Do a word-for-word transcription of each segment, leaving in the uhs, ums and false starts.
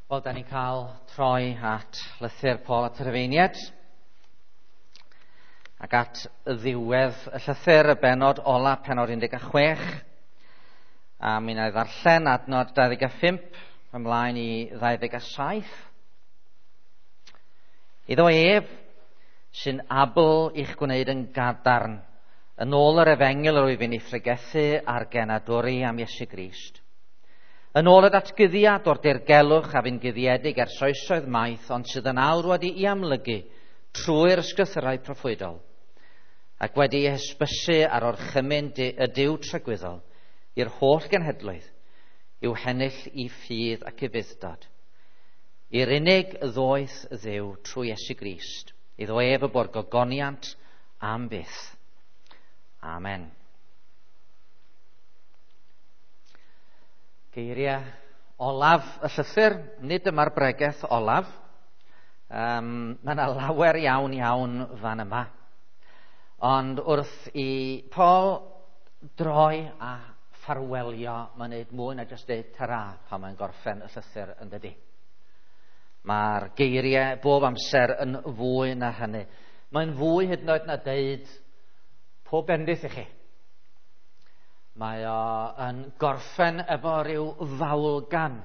Wel, da ni'n cael troi at lythyr Paul at y Rhufeiniaid ac at ddiwedd y llythyr, y bennod ola, pennod un deg chwech, a mi wna i ddarllen adnod dau ddeg a phump ymlaen i ddau ddeg a saith. Iddo ef sy'n abl i'ch gwneud yn gadarn, yn ôl yr efengyl yr wyf i'n ei phregethu a'r genadwri am Iesu Grist. Yn ôl y datguddiad o'r dirgelwch a fu'n guddiedig ers oesoedd maith, ond sydd yn awr wedi'i amlygu trwy'r ysgrythurau proffwydol, ac wedi'i hysbysu ar orchymyn y Duw tragwyddol i'r holl genhedloedd, i'w hennill i ffydd ac i fudd-dod. I'r unig ddoeth Dduw trwy Iesu Grist, iddo ef y bo'r gogoniant am byth. Amen. Geiriau olaf y llythyr, nid dyma'r bregeth olaf. Um, mae yna lawer iawn iawn fan yma. Ond wrth i Paul droi a ffarwelio, mae'n gwneud mwy na jyst deud tara pan mae'n gorffen y llythyr yn dydi. Mae'r geiriau bob amser yn fwy na hynny. Mae'n fwy hyd yn oed na deud pob bendith i chi. Mae o yn gorffen efo rhyw fawlgan.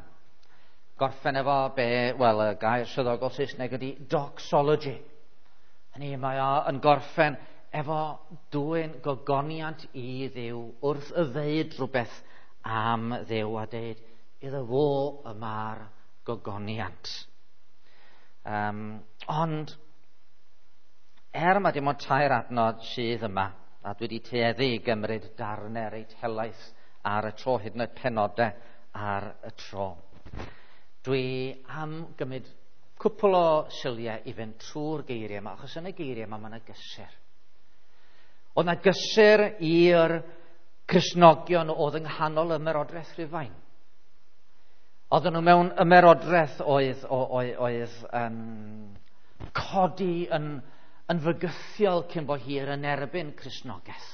Gorffen efo be, wel, y gair swyddogol Saesneg ydy doxology. Hynny, mae o yn gorffen efo dwyn gogoniant i Dduw wrth y ddeud rhywbeth am Dduw a deud iddo fo y mae'r gogoniant. Um, ond, er mae dim ond tair adnod sydd yma, a dwi wedi tueddu i gymryd darnau reit helaeth ar y tro, hyd yn oed penodau ar y tro. Dwi am gymryd cwpl o siliau i fynd trwy'r geiriau yma, achos yn y geiriau yma mae yna gysur. Oedd yna gysur i'r Cristnogion oedd yng nghanol ymerodraeth Rhufain. Oedden nhw mewn ymerodraeth oedd, oedd, oedd um, codi yn, yn fygythiol cyn bo hir yn erbyn Cristnogaeth.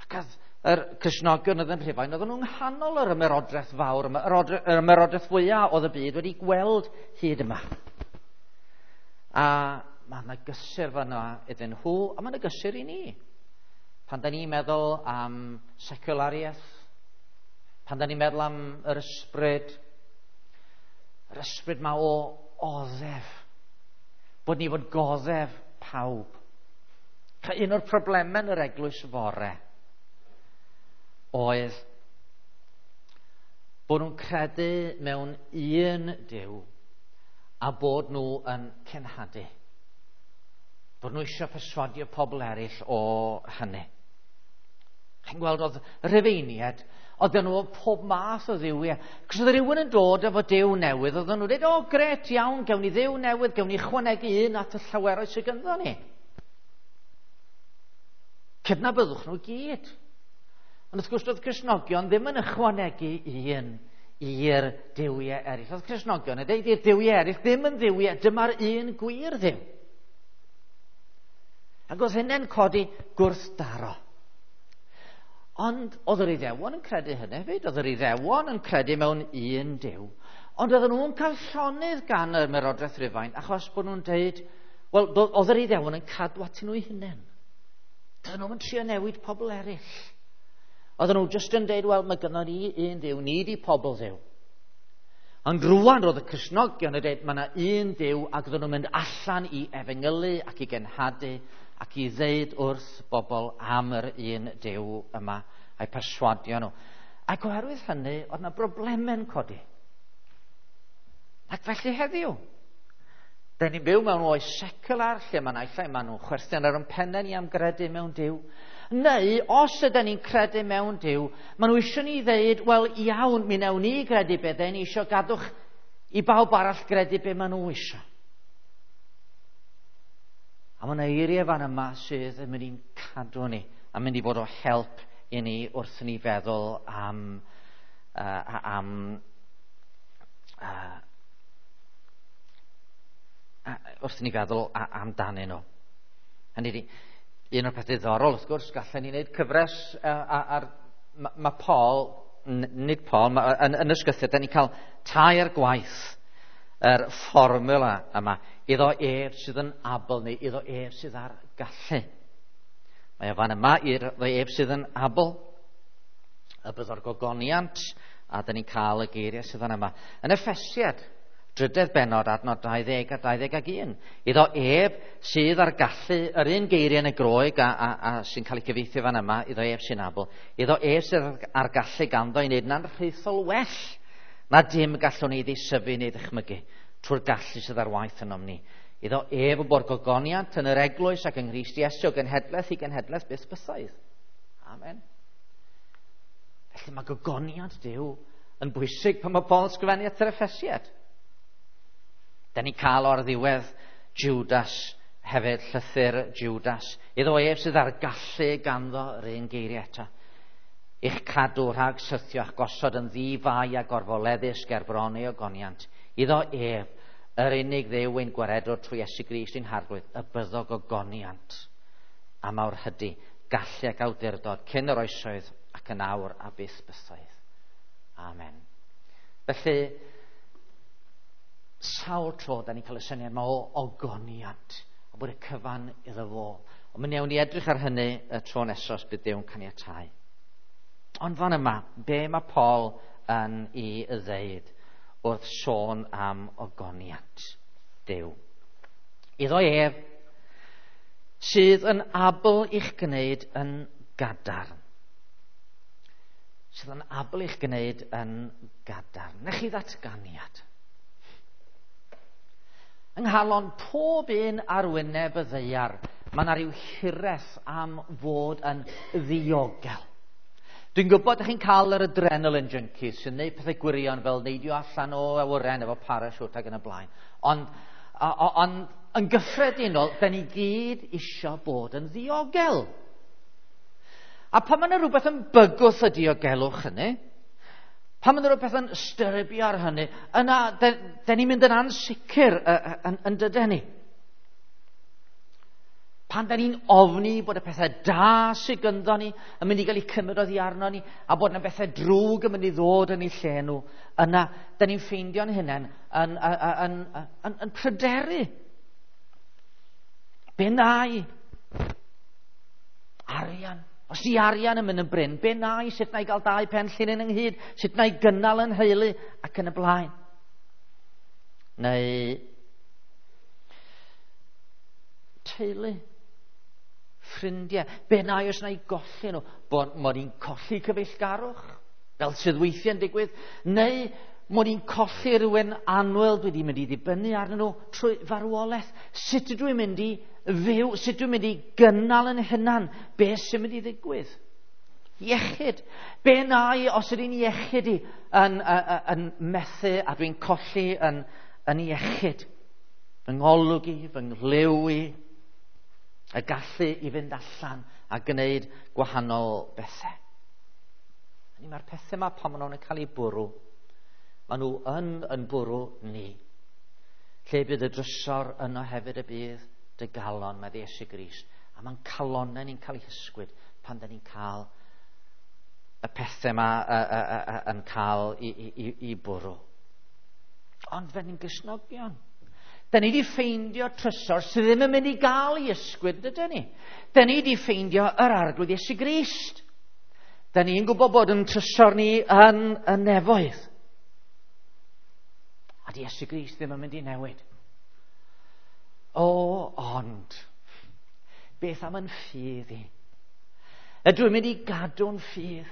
Ac oedd yr Cristnogion oedd yn Rhufain, oedden nhw'n nghanol yr ymerodraeth fawr, yr ymerodraeth fwyaf oedd y byd wedi gweld hyd yma. A mae yna gysur fan'na iddyn nhw, a mae yna gysur i ni. Pan da ni'n meddwl am seculariaeth, pan da ni'n meddwl am yr ysbryd, yr ysbryd ma o oddef, bod ni fod goddef pawb. Un o'r problemau yn yr eglwys fore oedd bod nhw'n credu mewn un Duw a bod nhw yn cenhadu. Bod nhw eisiau perswadio pobl eraill o hynny. Chi'n gweld oedd Rhufeiniaid, oedden nhw pob math o dduwiau. Cos oedd rhywun yn dod efo Duw newydd, oedden nhw'n dweud, o gret iawn, gewn ni dduw newydd, gewn ni chwanegu un at y llaweroedd sydd ganddo ni. Cydnabyddwch nhw gyd. Ond wrth gwrs doedd Cristnogion ddim yn ychwanegu un i'r duwiau eraill. Oedd Cristnogion yn dweud i'r duwiau eraill ddim yn dduwiau, dyma'r un gwir Dduw. Ac oedd hynny'n codi gwrthdaro. Ond oedd yr Iddewon yn credu hynny hefyd, oedd yr Iddewon yn credu mewn un Duw. Ond oedden nhw'n cael llonydd gan yr ymerodraeth Rufain, achos bod nhw'n dweud, wel, oedd yr Iddewon yn cadw atyn nhw eu hunain. Doedden nhw'n trio newid pobl eraill. Oedden nhw jyst yn dweud, wel, mae gynnon ni un Duw, ni di pobl Dduw. Ond rwan roedd y Cristnogion yn dweud, mae yna un Duw, ac oedden nhw'n mynd allan i efengylu ac i genhadu ac i ddeud wrth bobl am yr un Duw yma, a'i perswadio nhw. Ac oherwydd hynny, oedd yna broblemau'n codi. Ac felly heddiw, da ni'n byw mewn oes secular, lle mae naill ai maen nhw'n chwerthin ar ein pennau ni am gredu mewn Duw, neu os ydyn ni'n credu mewn Duw, maen nhw eisiau ni ddeud, wel iawn, mi wnawn ni gredu be dyn ni eisiau, gadwch i bawb arall gredu be maen nhw eisiau. A mae yna eiriau fan yma sydd yn mynd i'n cadw ni, a mynd i fod o help i ni wrth ni feddwl am, uh, am uh, uh, wrth ni feddwl amdanyn nhw. Hynny ydi, un o'r peth diddorol, wrth gwrs, gallen ni wneud cyfres uh, ar, mae ma Paul, nid Paul, ma, yn, yn ysgrythur, da ni'n cael tair gwaith yr fformula yma. Iddo ef sydd yn abl, neu iddo ef sydd ar gallu. Mae o fan yma iddo ef sydd yn abl, y byddo'r gogoniant, a dyn ni'n cael y geiriau sydd fan yma. Yn Effesiad, drydedd bennod, adnod dau ddeg a dau ddeg ac un. Iddo ef sydd ar gallu, yr un geiriau yn y Groeg a, a, a sy'n cael ei cyfieithu fan yma, iddo ef sy'n abl. Iddo ef sydd ar gallu ganddo i wneud yn anrhaethol well na dim gallwn ni ddeisyfu neu ddychmygu trwy'r gallu sydd ar waith ynom ni. Iddo ef y bo'r gogoniant yn yr eglwys ac yng Nghrist Iesu o genhedlaeth i genhedlaeth byth bythoedd. Amen. Felly mae gogoniant Duw yn bwysig pan mae Paul yn sgrifennu at yr Effesiad. Da ni'n cael o'r ddiwedd Judas hefyd, llythyr Judas. Iddo ef sydd ar gallu ganddo yr un geiriau eto. I'ch cadw rhag syrthio a'ch gosod yn ddi-fai a gorfoleddus ger bron ei ogoniant. Iddo ef, yr unig Dduw ein gwaredwr trwy Iesu Grist ein Harglwydd, y byddo gogoniant a mawrhydi, gallu ac awdurdod cyn yr oesoedd ac yn awr a byth bythoedd. Amen. Felly, sawl tro da ni'n cael y syniad yma o ogoniant, a bod y cyfan iddo fo. Ond mi wnawn ni edrych ar hynny y tro nesaf os bydd Duw'n caniatáu. Ond fan yma, be mae Paul yn ei ddeud wrth sôn am ogoniant Duw? Iddo ef sydd yn abl i'ch gwneud yn gadarn. Sydd yn abl i'ch gwneud yn gadarn. Nech chi ddatganiad. Yng nghalon pob un ar wyneb y ddaear, mae yna rhyw hiraeth am fod yn ddiogel. Dwi'n gwybod ydych chi'n cael yr adrenaline junkies sy'n gwneud pethau gwirion fel neidio allan o awyren efo parachute ac yn y blaen. Ond, ond yn gyffredinol, da ni gyd isio bod yn ddiogel. A pan mae yna rhywbeth yn bygwth y diogelwch hynny, pan mae yna rhywbeth yn styrbio ar hynny, yna, da, da ni'n mynd yn ansicr yn, yn dydyn ni. Pan da ni'n ofni bod y pethau da sydd gynddo ni yn mynd i gael eu cymryd oddi arno ni, a bod yna bethau drwg yn mynd i ddod yn eu lle nhw, yna da ni'n ffeindio'n hunain yn, yn, yn, yn, yn pryderu. Be na i? Arian. Os di arian yn mynd yn brin, be na i? Sut na i gael dau pen llinyn ynghyd? Sut na i gynnal yn heulu? Ac yn y blaen. Neu teulu, ffrindiau. Be na i os na i golli nhw? Bod mod i'n colli cyfeillgarwch, fel sydd weithiau'n digwydd, neu mod i'n colli rhywun annwyl dwi wedi mynd i ddibynnu arnyn nhw trwy farwolaeth. Sut ydw i'n mynd i fyw? Sut dwi'n mynd i gynnal yn hunan? Be sy'n mynd i ddigwydd? Iechyd. Be na i os ydy'n iechyd i yn, yn, yn methu a dwi'n colli yn, yn iechyd? Fy ngolwg i, fy nghlyw i, y gallu i fynd allan a gwneud gwahanol bethau. Mae'r pethau yma pan maen nhw'n cael eu bwrw, maen nhw yn yn bwrw ni. Lle bydd y drysor yno hefyd y bydd dy galon, mae Iesu Grist. A mae'n calonnau ni'n cael eu hysgwyd pan da ni'n cael y pethau yma y, y, y, y, yn cael i, i, i, i bwrw. Ond fe ni'n Gristnogion. Da ni wedi ffeindio trysor sydd ddim yn mynd i gael ei ysgwyd, dydyn ni? Da ni wedi ffeindio yr Arglwydd Iesu Grist. Da ni'n gwybod bod yn trysor ni yn y nefoedd. A di Iesu Grist ddim yn mynd i newid. O, ond, beth am yn ffydd i? Ydw i'n mynd i gadw'n ffydd?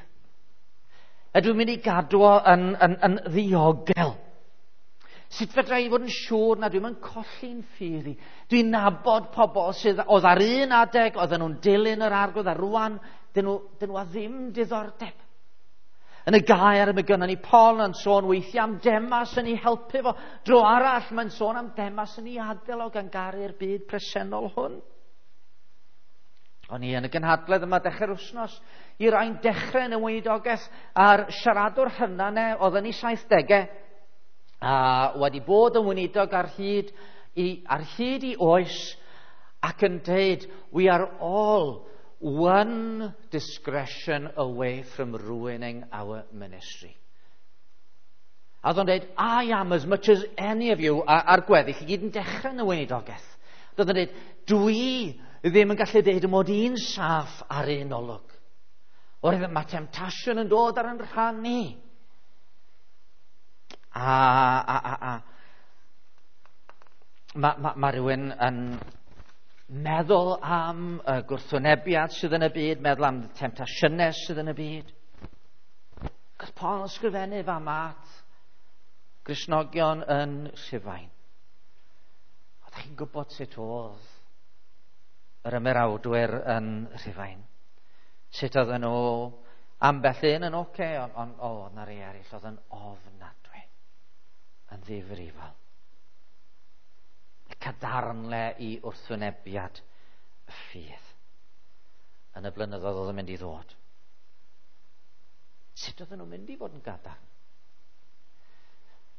Ydw i'n mynd i gadw o yn, yn, yn ddiogel? Sut fedra i fod yn siŵr na dwi'n mynd colli'n ffydd i? Dwi'n nabod pobl sydd oedd ar un adeg, oedden nhw'n dilyn yr Arglwydd, a rwan, dyn nhw, dyn nhw a ddim diddordeb. Yn y gair mae gynnon ni Paul yn sôn weithiau am Demas yn ei helpu fo. Dro arall mae'n sôn am Demas yn ei adael o gan garu'r byd presennol hwn. O'n i yn y gynhadledd yma dechrau'r wythnos i rai'n dechrau yn y weinidogaeth a'r siaradwr hynna ne, oedd yn ei saithdegau a wedi bod yn weinidog ar hyd i, ar hyd i oes ac yn deud, we are all one discretion away from ruining our ministry. A oedd o'n dweud, I am as much as any of you, a'r gweddill i gyd yn dechrau yn y weinidogaeth. Oedd o'n dweud, dwi ddim yn gallu dweud mod i'n saff ar un olwg. Oherwydd mae temtasiwn yn dod ar yn rhan ni. A, a, a, a. Mae ma, ma rhywun yn meddwl am y gwrthwynebiad sydd yn y byd, meddwl am y temtasiynau sydd yn y byd. Cos Paul yn ysgrifennu fa mat Gristnogion yn Rhufain. Oeddech chi'n gwybod sut oedd yr ymerawdwyr yn Rhufain? Sut oedden nhw ambell un yn oce, okay, ond on, o, oedd na rei eraill oedd yn ofnadwy, yn ddifrifol. Y cadarnle i wrthwynebiad y ffydd yn y blynyddoedd oedd yn mynd i ddod. Sut oedden nhw'n mynd i fod yn gadarn?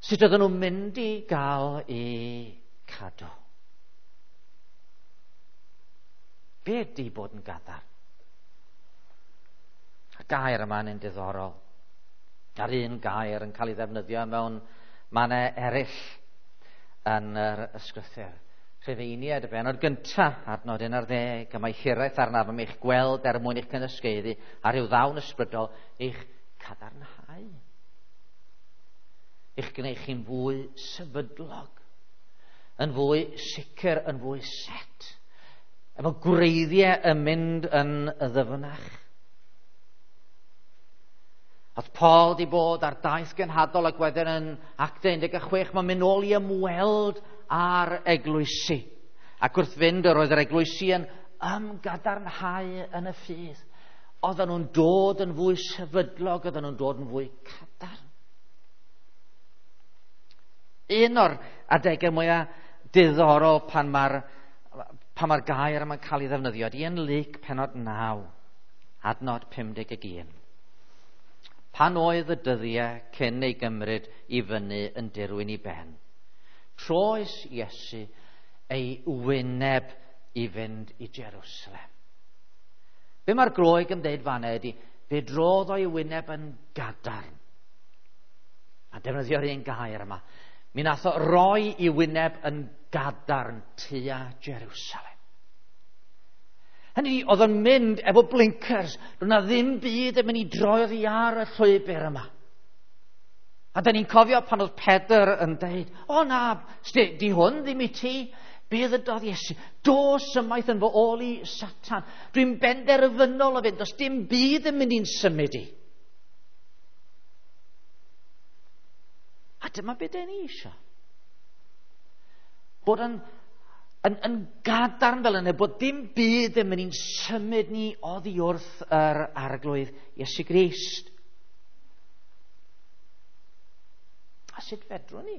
Sut oedden nhw'n mynd i gael eu cadw? Be ydy bod yn gadarn? Y gair yma'n un diddorol. A'r un gair yn cael ei ddefnyddio mewn mannau eraill yn yr ysgrythur. Rhufeiniaid y bennod gyntaf, adnod un ar ddeg, a mae hiraeth arnaf am eich gweld er mwyn eich cynysgaeddu a rhyw ddawn ysbrydol eich cadarnhau. Eich gwneud chi'n fwy sefydlog, yn fwy sicr, yn fwy set, efo gwreiddiau yn mynd yn y ddyfnach. Oedd Paul di bod ar daith genhadol ac wedyn yn Actau un deg chwech, mae'n mynd nôl i ymweld â'r eglwysi. Ac wrth fynd yr oedd yr eglwysi yn ymgadarnhau yn y ffydd. Oedden nhw'n dod yn fwy sefydlog, oedden nhw'n dod yn fwy cadarn. Un o'r adegau mwyaf diddorol pan mae'r pan mae'r gair yma'n cael ei ddefnyddio ydy yn Luc pennod naw, adnod pum deg un. Pan oedd y dyddiau cyn ei gymryd i fyny yn dirwyn i ben, troes Iesu ei wyneb i fynd i Jerusalem. Be mae'r Groeg yn dweud fanna ydy, fe drodd o'i wyneb yn gadarn. A defnyddio'r un gair yma. Mi nath o roi i wyneb yn gadarn tua Jerusalem. Hynny, oedd o'n mynd efo blinkers. Doedd na ddim byd yn mynd i droi oddi ar y llwybr yma. A da ni'n cofio pan oedd Pedr yn deud, o na, di hwn ddim i ti. Be ddydodd Iesu? Dos ymaith yn fy ôl i, Satan. Dwi'n benderfynol o fynd, does dim byd yn mynd i'n symud i. A dyma beth da ni eisiau. Bod yn, yn, yn gadarn fel yna, bod dim byd yn mynd i'n symud ni oddi wrth yr Arglwydd Iesu Grist. A sut fedrwn ni?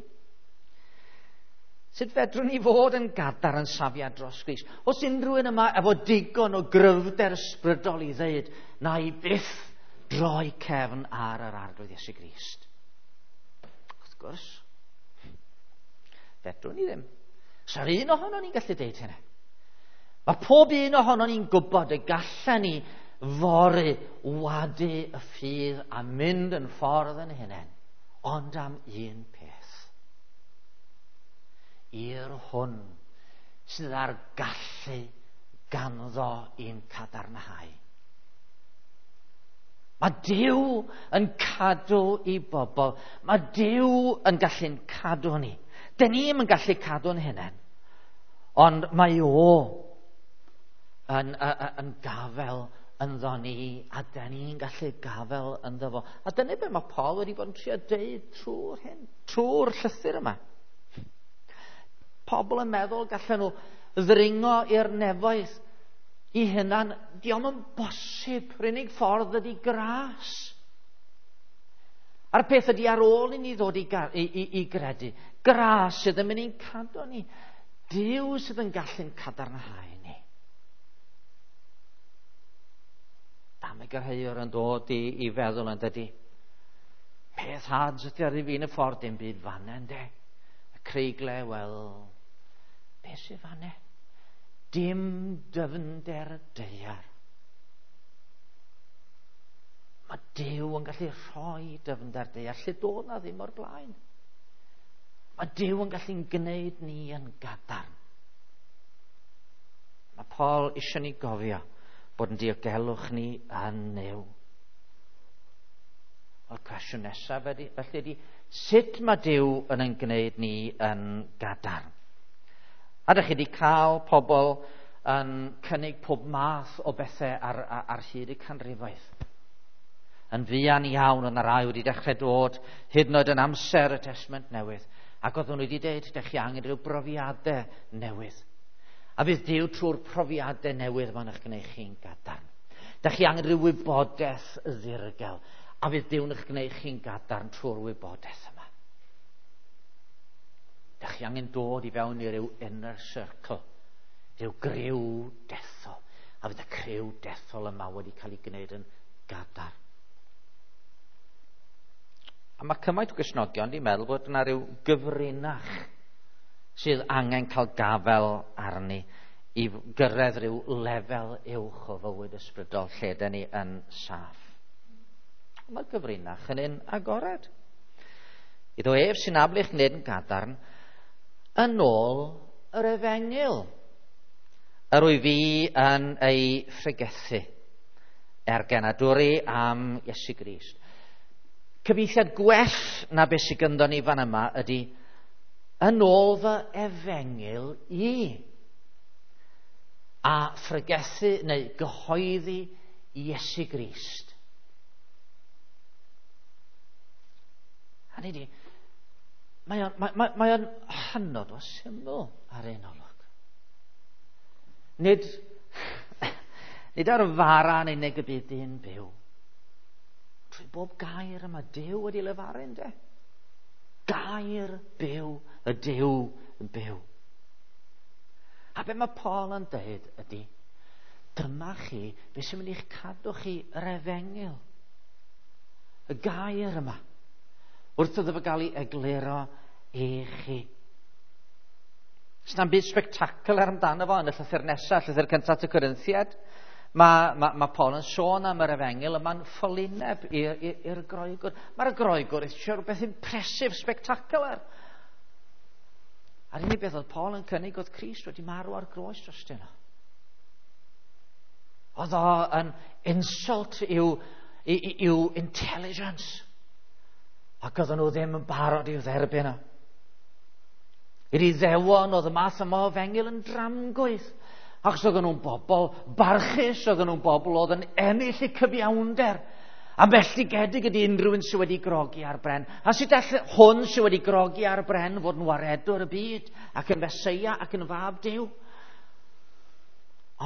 Sut fedrwn ni fod yn gadarn yn safiad dros Grist? Os unrhyw un yma efo digon o gryfder ysbrydol i ddeud, na i byth droi cefn ar yr Arglwydd Iesu Grist. Wrth gwrs, fedrwn ni ddim. Sa'r un ohono ni'n gallu deud hynny. Mae pob un ohono ni'n gwybod y gallen ni fory wadu y ffydd a mynd yn ffordd yn hunain, ond am un peth. I'r hwn sydd â'r gallu ganddo i'n cadarnhau. Mae Duw yn cadw i bobl. Mae Duw yn gallu'n cadw ni. Dyn ni'm yn gallu cadw'n hunain, ond mae o yn, yn, yn gafel ynddo ni, a dyn ni'n gallu gafel ynddo fo. A dyna beth mae Paul wedi bod yn trio deud trwy'r hyn, trwy'r llythyr yma. Pobl yn meddwl gallen nhw ddringo i'r nefoedd i hunan. Dio'm yn bosib. Yr unig ffordd ydy gras. A'r peth ydy ar ôl i ni ddod i, i, i, i gredu, gras sydd yn mynd i'n cadw ni. Duw sydd yn gallu'n cadarnhau ni. Dameg yr heiwr yn dod i, i feddwl yn dydy. Peth had ydy ar i fi'n y ffordd, dim byd fanna yndê. Y creigle, wel, beth sydd fanna? Dim dyfnder daear. Mae Duw yn gallu rhoi dyfnder deall lle doedd na ddim o'r blaen. Mae Duw yn gallu'n gwneud ni yn gadarn. Mae Paul eisiau ni gofio bod yn diogelwch ni yn Nuw. Wel, cwestiwn nesaf felly ydy, sut mae Duw yn ein gwneud ni yn gadarn? A ydych chi wedi cael pobl yn cynnig pob math o bethau ar, ar, ar hyd y canrifoedd. Yn fuan iawn yn y rai wedi dechrau dod, hyd yn oed yn amser y Testament Newydd. Ac oedden nhw wedi dweud, ydych chi angen rhyw brofiadau newydd. A bydd Duw trwy'r profiadau newydd ma'n eich gwneud chi'n gadarn. Dych chi angen rhyw wybodaeth ddirgel. A fydd Duw'n eich gwneud chi'n gadarn trwy'r wybodaeth yma. Dych chi angen dod i fewn i ryw inner circle, rhyw griw dethol. A fydd y criw dethol yma wedi cael ei gwneud yn gadarn. A mae cymaint o Gristnogion wedi meddwl bod yna rhyw gyfrinach sydd angen cael gafel arni i gyrraedd rhyw lefel uwch o fywyd ysbrydol lle dyn ni yn saff. Mae'r gyfrinach yn un agored. Iddo ef sy'n abl i'ch gwneud yn gadarn yn ôl yr efengyl. Yr wyf fi yn ei phregethu er genadwri am Iesu Grist. Cyfieithiad gwell na beth sydd gynddo ni fan yma ydy yn ôl fy efengyl i, a phregethu neu gyhoeddi Iesu Grist. Hynny ydi, mae o'n, mae, mae, mae o'n hynod o syml ar un olwg. Nid, nid ar fara yn unig y bydd dyn byw. Trwy bob gair yma Duw wedi lefaru, ynde? Gair byw, y Duw byw. A be mae Paul yn dweud ydy, dyma chi, be sy'n mynd i'ch cadw chi yr efengyl. Y gair yma. Wrth iddo fo gael ei egluro i chi. S'na'm byd spectacular amdano fo yn y llythyr nesaf, llythyr cyntaf at y Corinthiaid. Mae, mae, mae Paul yn sôn am yr efengyl yma'n ffolineb i'r Groegwr. Mae'r Groegwr eisiau rhywbeth impressive, spectacular. A'r unig beth oedd Paul yn cynnig oedd Crist wedi marw ar groes drostyn nhw. Oedd o yn insult i'w, i'w intelligence. Ac oedden nhw ddim yn barod i'w dderbyn o. I'r Iddewon oedd y math yma o efengyl yn dramgwydd. Achos oedden nhw'n bobl barchus, oedden nhw'n bobl oedd yn ennill eu cyfiawnder. A melltigedig ydy unrhyw un sydd wedi grogi ar bren. A sut all hwn sydd wedi grogi ar bren fod yn waredwr y byd, ac yn Feseia ac yn fab Duw?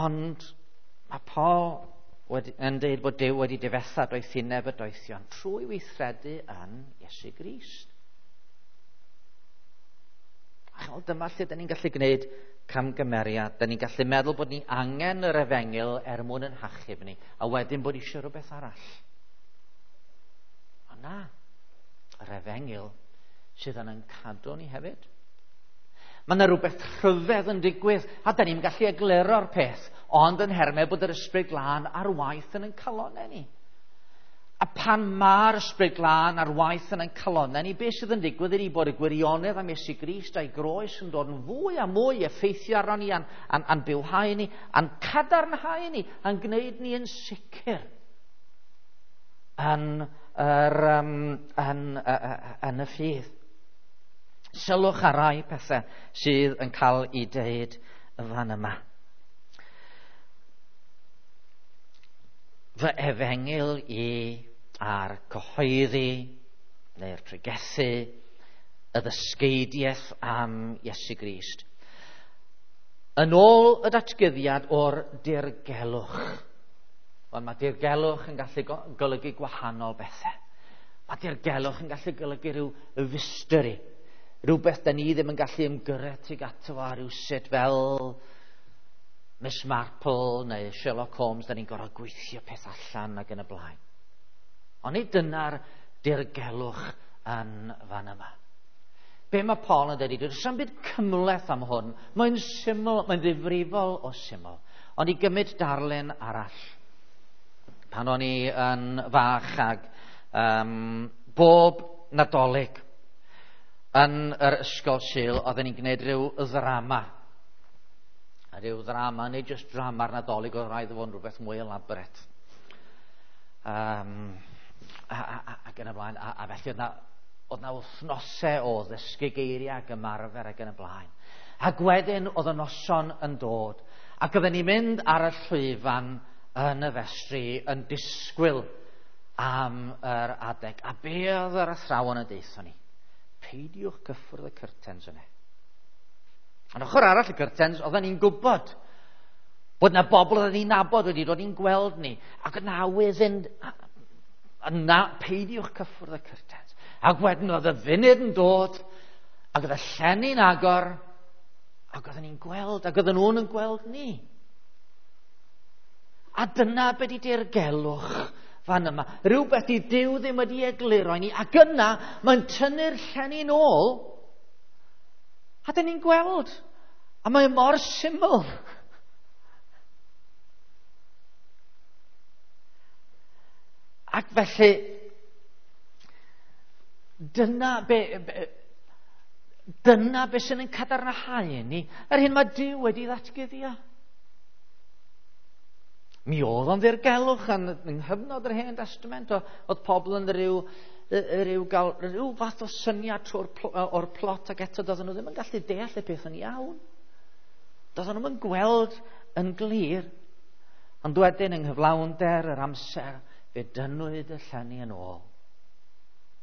Ond mae Paul wedi, yn dweud bod Duw wedi difetha doethineb y doethion trwy weithredu yn Iesu Grist. A chimod, dyma lle dyn ni'n gallu gwneud camgymeriad. Dyn ni'n gallu meddwl bod ni angen yr efengyl er mwyn yn hachub ni, a wedyn bod eisiau rhywbeth arall. Ond na, yr efengyl sydd yn yn cadw ni hefyd. Mae yna rhywbeth rhyfedd yn digwydd, a dyn ni'n gallu egluro'r peth, ond yn hermau bod yr Ysbryd Glân ar waith yn ein calonnau ni. A pan mae'r Ysbryd Glân ar waith yn ein calonnau ni, beth sydd yn digwydd ydy bod y gwirionedd am Iesu Grist a'i groes yn dod yn fwy a mwy effeithio arno ni, a'n, a'n, a'n bywhau ni, a'n cadarnhau ni, a'n gwneud ni yn sicr yn, yr, um, yn, yn y ffydd. Sylwch ar rai pethau sydd yn cael ei deud fan yma. Fy efengyl i a'r cyhoeddi neu'r pregethu y ddysgeidiaeth am Iesu Grist. Yn ôl y datguddiad o'r dirgelwch. Wel, mae dirgelwch yn gallu golygu gwahanol bethau. Mae dirgelwch yn gallu golygu rhyw mystery. Rhywbeth da ni ddim yn gallu ymgyrraedd tuag ato fo rhywsut fel Miss Marple neu Sherlock Holmes, da ni'n gorfod gweithio peth allan ac yn y blaen. Ond nid dyna'r dirgelwch yn fan yma. Be mae Paul yn dweud, does dim byd cymhleth am hwn. Mae'n syml, mae'n ddifrifol o syml. Ond i gymryd darlun arall. Pan o'n i yn fach ag um, bob Nadolig yn yr ysgol Sul, oedden ni'n gwneud rhyw ddrama. A rhyw ddrama, neu jyst drama'r Nadolig, oedd rhaid fod yn rhywbeth mwy elaborate. Um, a, a, ac yn y blaen, a, a felly oedd na, oedd na wythnosau o ddysgu geiriau ac ymarfer ac yn y blaen. Ac wedyn oedd y noson yn dod, ac oedden ni'n mynd ar y llwyfan yn y festri yn disgwyl am yr adeg. A be oedd yr athrawon yn deutho ni? Peidiwch cyffwrdd y curtains yna. Yn ochr arall y curtains, oedden ni'n gwybod bod na bobl oedden ni'n nabod wedi dod i'n gweld ni. Ac yna awydd yn... Na, peidiwch cyffwrdd y curtains. Ac wedyn oedd y funud yn dod, ac oedd y llenni'n agor, ac oedden ni'n gweld, ac oedden nhw'n yn gweld ni. A dyna be di dirgelwch fan yma. Rhywbeth i Duw ddim wedi egluro i ni. Ac yna, mae'n tynnu'r llenni'n ôl, a dyn ni'n gweld. A mae mor syml. Ac felly, dyna be, be, dyna be sy'n yn cadarnhau ni, yr hyn mae Duw wedi ddatguddio. Mi oedd o'n ddirgelwch yn, yng nghyfnod yr Hen Testament, oedd pobl yn rhyw, rhyw, gael, rhyw fath o syniad trwy'r o'r plot, ac eto doedden nhw ddim yn gallu deall y peth yn iawn. Doedden nhw'n gweld yn glir. Ond wedyn yng nghyflawnder yr amser, fe dynnwyd y llenni yn ôl.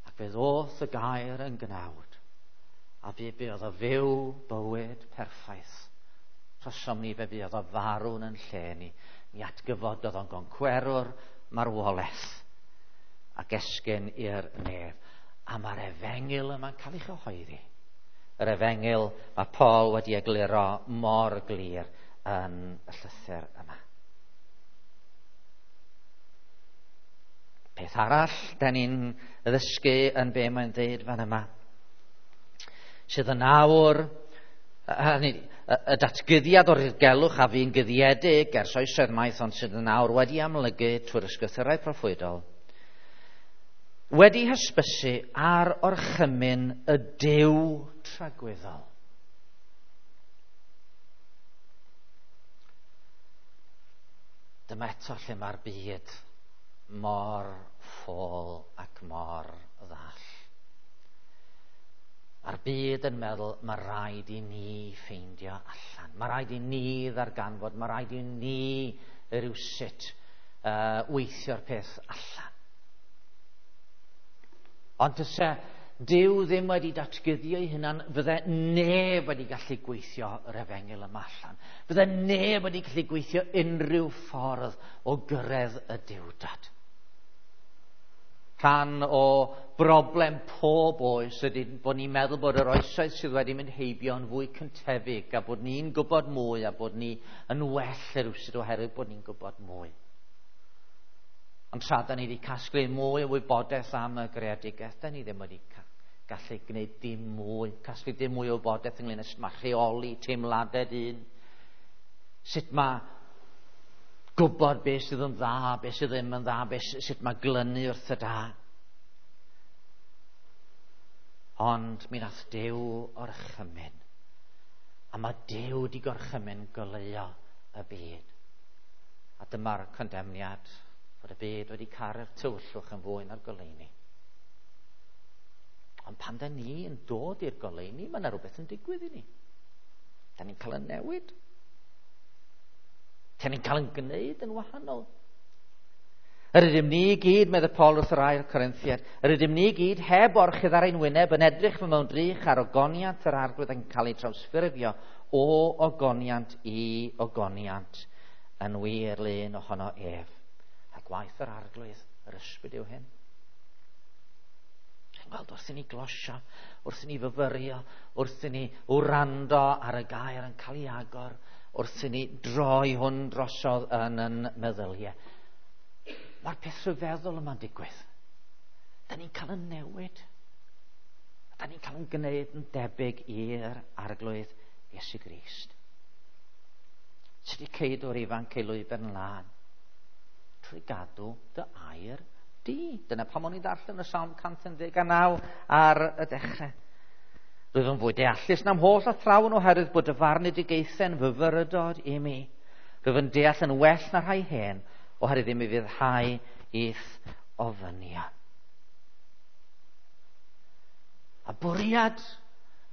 Ac fe ddoth y gair yn gnawd. A fe buodd o fyw bywyd perffaith. Trosom ni fe buodd o farw'n yn lle ni. Mi atgyfododd o'n goncwerwr marwolaeth ac esgyn i'r nef. A mae'r efengyl yma'n cael ei chyhoeddi. Yr efengyl mae Paul wedi egluro mor glir yn y llythyr yma. Peth arall, da ni'n ddysgu yn be mae'n dweud fan yma, sydd yn awr, hynny, y datguddiad o'r dirgelwch a fu'n guddiedig ers oesoedd maith, ond sydd yn awr wedi amlygu trwy'r ysgrythurau proffwydol, wedi hysbysu ar orchymyn y Duw tragwyddol. Dyma eto lle mae'r byd mor ffôl ac mor ddall. Mae'r byd yn meddwl, mae rhaid i ni ffeindio allan. Mae rhaid i ni ddarganfod, mae rhaid i ni rywsut uh, weithio'r peth allan. Ond tyse Duw ddim wedi datguddio ei hunan, fydde neb wedi gallu gweithio yr efengyl yma allan. Fydde neb wedi gallu gweithio unrhyw ffordd o gyrraedd y Duwdad. Rhan o broblem pob oes ydy bod ni'n meddwl bod yr oesoedd sydd wedi mynd heibio yn fwy cyntefig a bod ni'n gwybod mwy a bod ni yn well rywsut oherwydd bod ni'n gwybod mwy. Ond tra da ni wedi casglu mwy o wybodaeth am y greadigaeth, da ni ddim wedi gallu gwneud dim mwy, casglu dim mwy o wybodaeth ynglyn â sut mae rheoli teimladau dyn, sut mae gwybod beth sydd yn dda, beth sydd ddim yn dda, beth, sut mae glynu wrth y da. Ond mi nath Duw orchymyn, a mae Duw wedi gorchymyn goleuo y byd. A dyma'r condemniad, bod y byd wedi caru'r tywyllwch yn fwy na'r goleuni. Ond pan da ni yn dod i'r goleuni, mae yna rhywbeth yn digwydd i ni. Da ni'n cael yn newid. Da ni'n cael yn gwneud yn wahanol. Yr ydym ni i gyd, medde Paul wrth yr ail Corinthiad, yr ydym ni i gyd heb orchudd ar ein wyneb yn edrych mewn drych ar ogoniant yr Arglwydd yn cael ei trawsffurfio o ogoniant i ogoniant yn wir lun ohono ef. A gwaith yr Arglwydd, yr ysbryd yw hyn. Chi'n gweld wrth i ni glosio, wrth i ni fyfyrio, wrth i ni wrando ar y gair yn cael ei agor, wrth i ni droi hwn drosodd yn yn meddyliau. Mae'r peth rhyfeddol yma'n digwydd. Da ni'n cael yn newid. Da ni'n cael yn gwneud yn debyg i'r Arglwydd Iesu Grist. Sut i ceidw'r ifanc ei lwybr yn lân? Trwy gadw dy air di. Dyna pam o'n i'n darllen y Salm cant un deg naw ar y dechrau. Rwyf yn fwy deallus na'm holl athrawon oherwydd bod y farnedigaethau'n fyfyrdod i mi. Rwyf yn deall yn well na rhai hen oherwydd i mi fyddhau i'th ofynion. A bwriad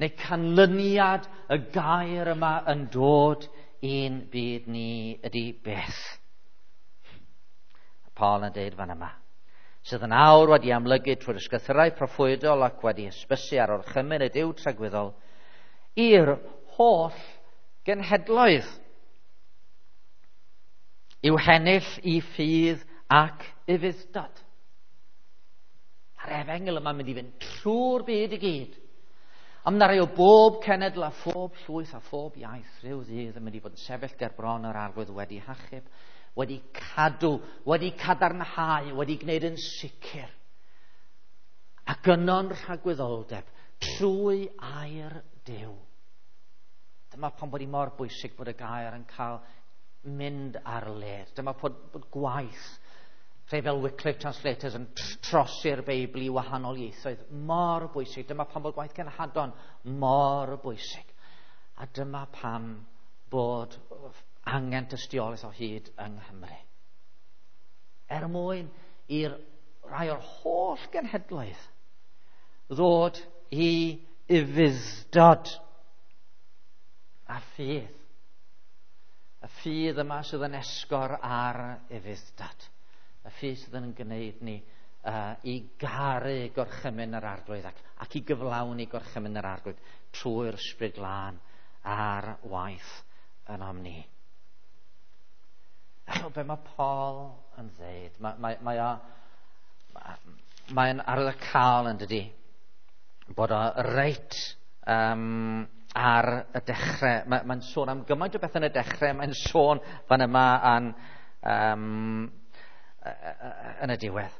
neu canlyniad y gair yma yn dod i'n byd ni ydy beth? Paul yn deud fan yma, sydd yn awr wedi amlygu trwy'r ysgrythurau proffwydol ac wedi hysbysu ar orchymyn y Duw tragwyddol i'r holl genhedloedd i'w hennill i ffydd ac ufudd-dod. A'r efengyl yma'n mynd i fynd trwy'r byd i gyd. A mae 'na rai o bob cenedl a phob llwyth a phob iaith rhyw ddydd yn mynd i fod yn sefyll ger bron yr Arglwydd wedi hachub, wedi cadw, wedi cadarnhau, wedi gwneud yn sicr. Ac yno'n rhagwyddoldeb trwy air Duw. Dyma pam bod hi mor bwysig bod y gair yn cael mynd ar led. Dyma bod, bod gwaith rhai fel Wycliffe Translators yn trosi'r Beibl i wahanol ieithoedd mor bwysig. Dyma pam bod gwaith cenhadon mor bwysig. A dyma pam bod angen tystiolaeth o hyd yng Nghymru. Er mwyn i'r rhai o'r holl genhedloedd ddod i ufudd-dod a ffydd. Y ffydd yma sydd yn esgor ar ufudd-dod. Y ffydd sydd yn gwneud ni uh, i garu gorchymyn yr Arglwydd ac, ac i gyflawni gorchymyn yr Arglwydd trwy'r Ysbryd Glân ar waith ynom ni. A be mae Paul yn dweud? Mae, mae, mae o, mae'n arwyddocaol yn dydi, bod o reit um, ar y dechrau. Mae, mae'n sôn am gymaint o beth yn y dechrau, mae'n sôn fan yma an, um, yn y diwedd.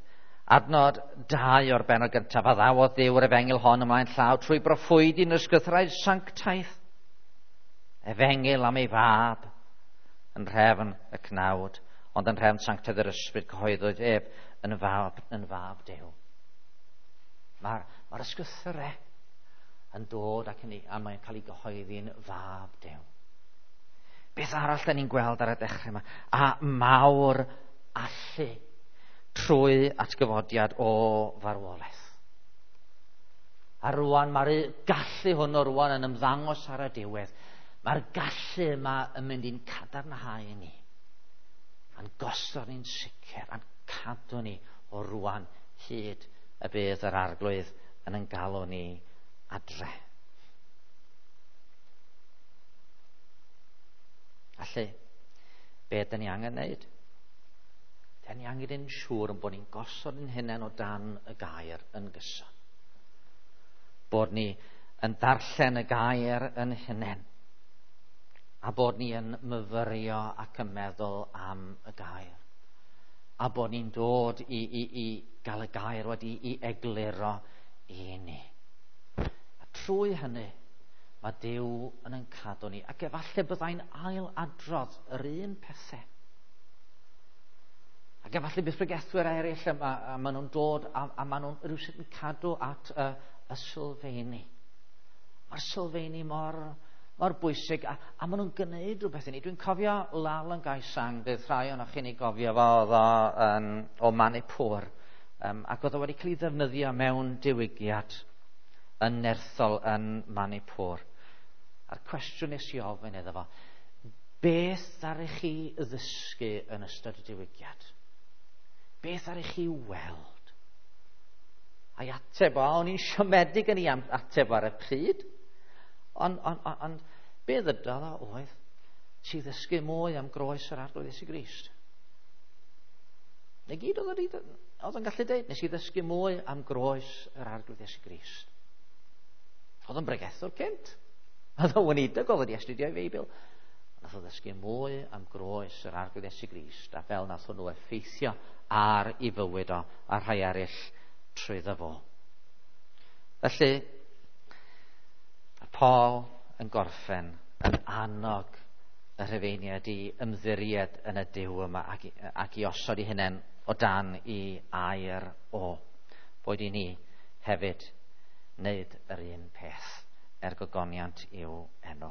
Adnod dau o'r bennod gyntaf, a ddawodd Duw yr efengyl hon ymlaen llaw trwy broffwydi yn ysgrythurau sanctaidd. Efengyl am ei fab yn rhefn y cnawd, ond yn rhefn sanctaidd yr ysbryd cyhoeddwyd ef yn fab, yn fab Duw. Mae'r mae ysgrythurau yn dod ac yn, a mae'n cael ei gyhoeddi'n fab Duw. Beth arall da ni'n gweld ar y dechrau yma? A mawr allu trwy atgyfodiad o farwolaeth. A rwan mae'r gallu hwn o rwan yn ymddangos ar y diwedd. Mae'r gallu yma yn mynd i'n cadarnhau ni. A'n gosod ni'n sicr, a'n cadw ni o rwan hyd y bydd yr Arglwydd yn yn galw ni adre. Felly, be ydyn ni angen wneud? Dyn ni angen yn siŵr yn bod ni'n gosod yn hunain o dan y gair yn gyson. Bod ni yn darllen y gair yn hunain. A bod ni yn myfyrio ac yn meddwl am y gair. A bod ni'n dod i, i, i gael y gair wedi i egluro i ni. A trwy hynny, mae Duw yn ein cadw ni. Ac efallai byddai'n ail adrodd yr un pethau. Ac efallai bydd pregethwyr eraill yma, a maen nhw'n dod a, a maen nhw'n rhywsut yn cadw at y, y sylfeini. Mae'r sylfeini mor, mor bwysig a, a maen nhw'n gwneud rhywbeth i ni. Dwi'n cofio Lal yn Gaisang, bydd rhai ohonoch chi'n ei gofio fo, oedd o, um, o Manipur, um, ac oedd o wedi cael ei ddefnyddio mewn diwygiad yn nerthol yn Manipur. A'r cwestiwn nes i ofyn iddo fo, beth ddaru chi ddysgu yn ystod y diwygiad? Beth ddaru chi weld? A'i ateb o, o'n i'n siomedig yn ei ateb ar y pryd, ond on, on, on, be ddydodd o oedd, ti ddysgu mwy am groes yr Arglwydd Iesu Grist. Na gyd oedd oedd yn gallu deud, nes i ddysgu mwy am groes yr Arglwydd Iesu Grist. Oedd yn bregethwr cynt. Oedd o'n weinidog, oedd wedi astudio ei Feibl. Nath o ddysgu mwy am groes yr Arglwydd Iesu Grist, a fel nath hwnnw effeithio ar ei fywyd o a rhai eraill trwyddo fo. Felly, Paul yn gorffen yn annog y Rhufeiniaid i ymddiried yn y Duw yma ac i, ac i osod eu hunain o dan i air o. Boed i ni hefyd wneud yr un peth er gogoniant i'w enw.